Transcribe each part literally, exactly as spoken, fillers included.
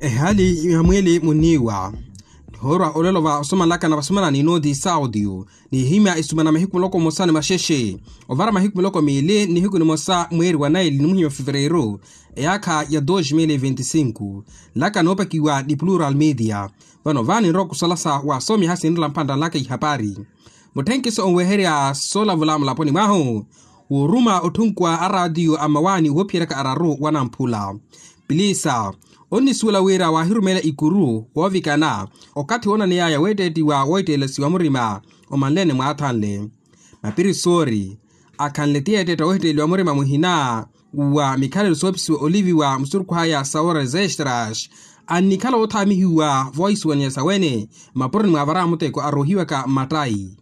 Ehaali ya mwiili munniiwa. Nihoorwa olelo va osomalaka na vasomanani nooti sautiyu, nihimya isumana mahiku miloko mmosa ni maxexe, ovara mahiku miloko miili nihiku nimosa mweeri wa naili ni muhimya fevereiru, eyaakha ya dos mil e venti sinku. Nlaka noopakiwa ni plural media. Vano vaani nrowa kusalasa wa asoomi ahasinrela mpantta nlaka ihapari. Mutthenkiso onweherya soolavula mulaponi mwahu, wooruma otthunkuwa araatiyo a mmawaani woophiyeryaka araru wanamphula. Pilisa onnisuwela wira waahirumeela ikuru woovikana okathi woonaneyaya weetteettiwa woohitteelesiwa murima omanleene mwaathanle. Mapirisori akhanle ti yeetteetta woohitteeliwa murima muhina wa mikhalelo soopisiwa oliviwa musurukhu aya sa horas extras, annikhala woothaamihiwa voohisuwaniya sawene mmapuroni mwaavara muteko aroohiwaka mmattayi.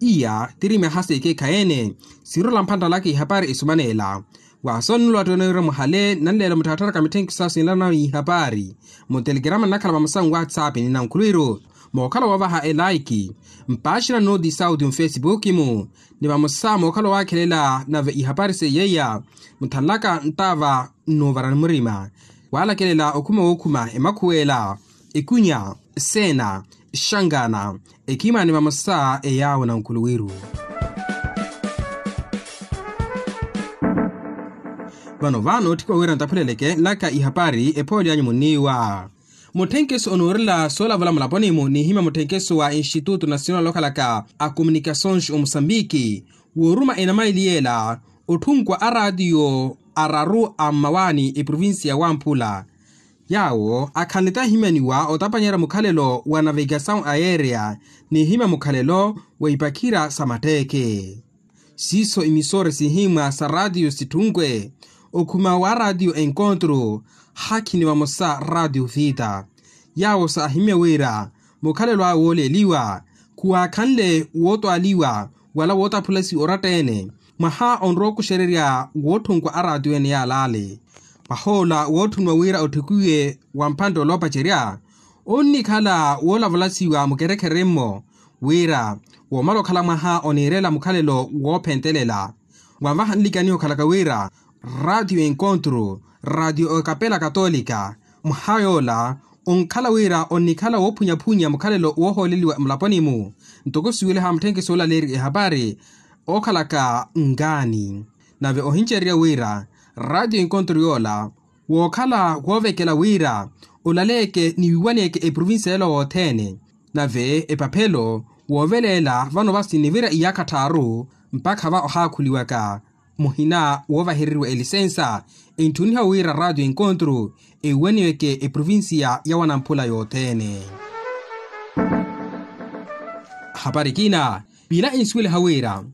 Iya tiri myaha sekeekhayi-ene. Siirola mphantta nlaka ihapari esumaneela. Waasoonnulo attooneriwa muhale nanleela mutthattharaka mitthenkiso sinlana ihapari. Mutelekerama nnakhala vamosa nwatsapp ni nankhulwiru mookhala woovaha elaiki mpaaxina nooti sauti mufesipuki-mu, ni vamosa mookhala waakhelela nave ihapari seiyeiya muthanlaka nttaava nnoovarani murima. Waalakelela okhuma wookhuma emakhuwela, ekunya, seena, exangana, ekhimani vamosa eyaawo nankhuluwiru. Vano vaano otthika wira ntaphuleleke nlaka ihapari ephooli anyu munniiwa. Mutthenkeso onoorela soolavula mulaponi-mu nihimya mutthenkeso wa institutu nasional okhalaka a komunikasons omusambiki, wooruma enamaili yeela otthunkuwa araatiyo araru a mmawaani eprovincia ya wamphula. Yaawo akhanle tahimyaniwa otapanyerya mukhalelo wa navegasaw aerea nihimya mukhalelo wa ipakhira sa matteeke. Siiso imisore sihimwa sa raatiyo sitthunke okhuma wa raatiyo enkontro, hakhi ni vamosa raatiyo vita. Yaawo saahimya wira mukhalelo awe wooleeliwa khuwaakhanle wootwaaliwa wala wootaphulasiwa oratta-ene mwaha onrowa okuxererya wootthunkwa araatiyo ene yaalaale. Mwahoola wootthuniwa wira otthikuwiwe wa mphantte oloopacerya onnikhala woolavulasiwa mukerekhere-mmo wira woomala okhala mwaha oniirela mukhalelo woophentelela. Wanvaha nlikaniha okhalaka wira raatiyo enkontro, raatiyo ekapela katolika, mwaha yoola onkhala wira onnikhala woophunyaphunnya mukhalelo woohooleliwa mulaponi-mu. Ntoko siweliha mutthenkeso olaleerya ehapari ookhalaka nkaani nave ohincererya wira raatiyo enkontro yoola wookhala woovekela wira olaleeke ni wiiwaneeke eprovincia yela wothene. Nave epaphelo wooveleela vano vasi nivira iyaakha tthaaru mpakha va ohaakhuliwaka muhina woovahereriwa elisensa entthuniha wira raatiyo enkontro ewiwaniweke eprovincia ya wanamphula yothene. Hapari ekina piila ensuweliha wira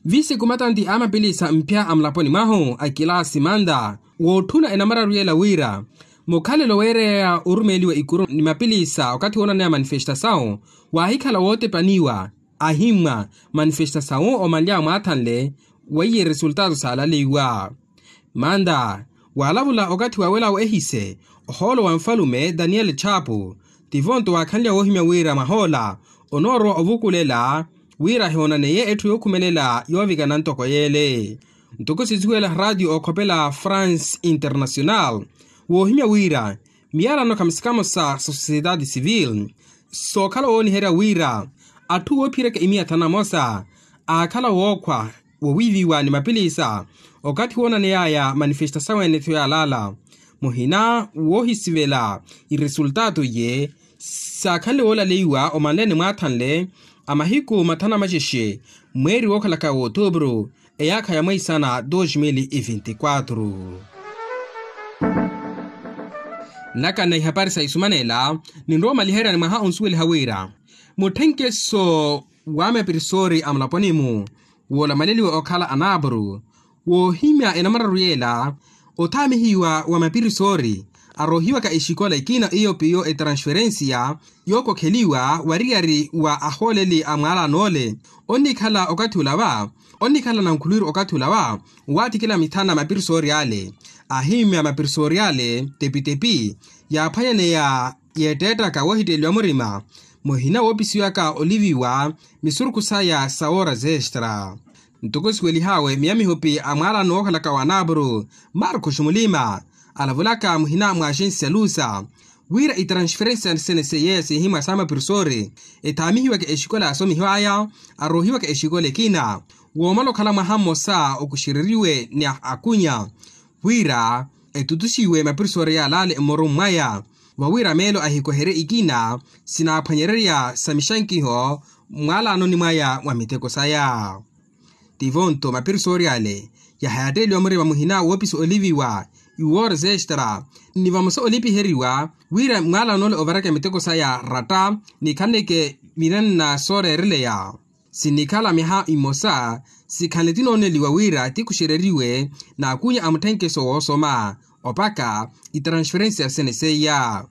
visi kumatanti a mapilisa mphya a mulaponi mwahu a kilaasi manta wootthuna enamararu yela wira mukhalelo weereyaya orumeeliwa ikuru ni mapilisa okathi woonaneya manifestasawu waahikhala wootepaniwa. Ahimmwa manifestasawu omanly'awe mwaathanle weiye resultato saalaleiwa. Manta waalavula okathi waawelawo ehise ohoolo wa nfalume daniel chapu tivo nto waakhanlya woohimya wira mwahoola onoorowa ovukulela wira ahiwoonaneye etthu yookhumelela yoovikana ntoko yeele. Ntoko sisuwela raatiyo ookhopela france international woohimya wira miyalano khamusikamosa sa sociedade civil sookhala wooniherya wira atthu woophiyeraka imiya thanu na mosa aakhala wookhwa wowiiviwa ni mapilisa okathi woonaneyaya manifestasawu ene-tho yaalaala muhina woohisivela iresultato iye saakhanle woolaleiwa omanleene mwaathanle a mahiku mathanu na maxexe mweeri wookhalaka w'otuupuru eyaakha ya mweisana dos mil e venti quatro. Nlaka na ihapari sa isumanela ninrowa omaliheryani mwaha onsuweliha wira mutthenkeso wa mapirisori a mulaponi-mu woolamaleliwa okhala anaapuru woohimya enamararu yeela othaamihiwa wa mapirisori aroohiwaka exikola ekina iyo piyo etransferensiya yookokheliwa wariyari wa ahooleli a mwaalano ole onnikhala okathi olava onnikhala nankhulwiru okathi olava waatikila mithana mapirisori ale ahimmya mapirisori ale tepitepi yaaphwanyaneya yeetteettaka woohitteeliwa murima muhina woopisiwaka oliviwa misurukhu saya sa wooras extra. Ntoko siwelih'awe miya mihupi a mwaalano wookhalaka wa naapuru marcos mulima alavulaka muhina mwa axensi ya lusa Wira itransferensia sene seiye sihimwa sa mapirisori ethaamihiwaka exikola asomihiwaya, aroohiwaka exikola ekina woomala okhala mwaha mmosa okuxereriwe ni akunya wira etutuxiwe mapirisori yalale mmorumu mwaya, vawira meelo ahikoherye ikina sinaaphwanyererya sa mixankiho mmwalanoni mwaya mwa miteko saya. Tivo-nto mapirisori ale yahayatteeliwa murima muhina woopisa oliviwa iwoora zextra ni vamosa olipiheriwa wira mwaalano ole ovaraka miteko saya ratta nikhaleke minanna sooreereleya. Sinikhala myaha imosa sikhanle tinooneliwa wira tikuxereriwe n'akunya a mutthenkeso woosoma opaka itransferensia sene seiya.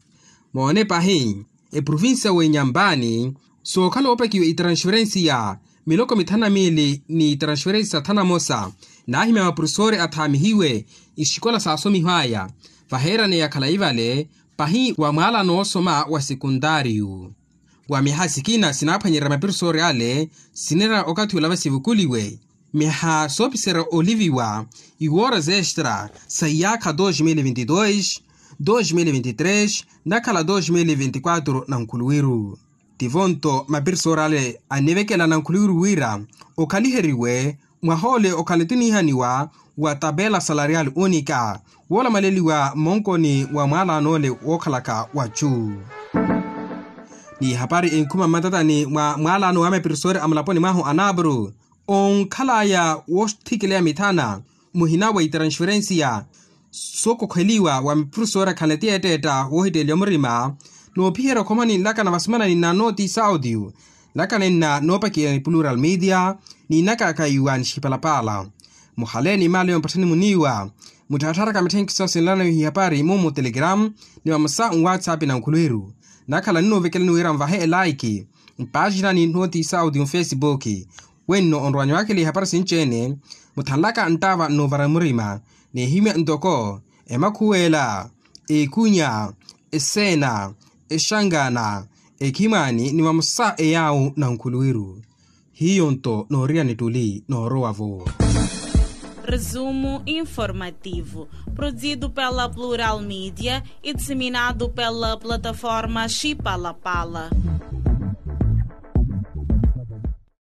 Moone pahi eprovinsia w'enyampani sookhala oopakiwa itransferensiya miloko mithanu na miili ni itransferensiya thanu na mosa naahimya maprofesori athaamihiwe ixikola saasomihwaya vaheeraneya khalayi vale pahi wa mwaalano woosoma wa sekuntaariyu. Wa myaha sikina sinaaphwanyerya maprofesori ale sinira okathi olava sivukuliwe myaha soopiserya oliviwa iwoora zextra sa iyaakha dos mil e vinte e dois, dos mil e vinte e três nakhala dos mil e vinte e quatro na nkhuluwiru. Tivo-nto mapirisori ale anivekela na nkhuluwiru wira okhaliheriwe mwaha ole okhala tuniihaniwa wa tapela salarial unika woolamaleliwa mmonkoni wa mwaalano ole wookhalaka wachu. Ni hapari enkhuma mmatatani mwa mwaalano wa mapirisori a mulaponi mwahu anapuru onkhalaya woothikeleya mithana muhina wa itransferensiya sookokheliwa wa maprofesori akhanle ti etteetta woohitteeliwa murima noophiherya okhomani nlakana vasimana ni nna nooti saudio nlakana nna noopakiya ni plural media ni nnakakaiwa ni xipalapaala. Muhale ni maali yompatthani muniiwa mutthattharaka mitthenkiso sinlanawiha ihapari mumu telegram ni vamosa nwatsapp na nkhuluwiru nakhala ninoovekelani wira nvahe elaiki mpaaxinani nooti saudio nfesibuki. Wenno onrowanya waakela ihapari sinci-ene muthanlaka nttaava nnuuvara murima n'ehimya ntoko emakhuwela, ekunya, eseena, exangana, ekhimani ni vamosa eyaawu na nkhuluwiru. Hiyo-nto nooriya nittuli noorowa-vo. Resumo informativo, produzido pela Plural Media e disseminado pela plataforma Chipalapala.